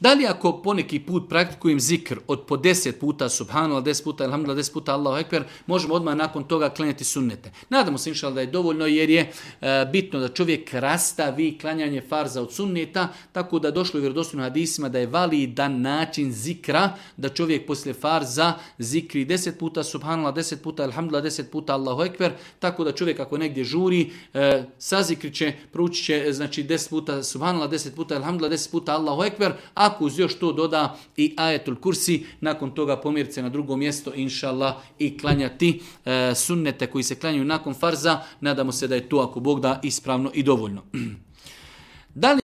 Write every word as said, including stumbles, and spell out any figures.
Da li ako poneki put praktikujem zikr od po deset puta subhanallah, deset puta alhamdulillah, deset puta Allahu ekber, možemo odmah nakon toga klanjati sunnete. Nadamo se inšallah da je dovoljno jer je e, bitno da čovjek rastavi klanjanje farza od sunneta, tako da došlo u vjerodostojnim hadisima da je validan način zikra, da čovjek poslije farza zikri deset puta subhanallah, deset puta alhamdulillah, deset puta Allahu ekber, tako da čovjek ako negdje žuri, e, sazikrit će, proučit će znači deset puta subhanallah, deset puta alhamdulillah, deset puta Allahu ekber, ako uz još to doda i ajetul kursi, nakon toga pomjeriti se na drugo mjesto, inšallah, i klanjati e, sunnete koji se klanjaju nakon farza, nadamo se da je to, ako Bog da, ispravno i dovoljno. Da li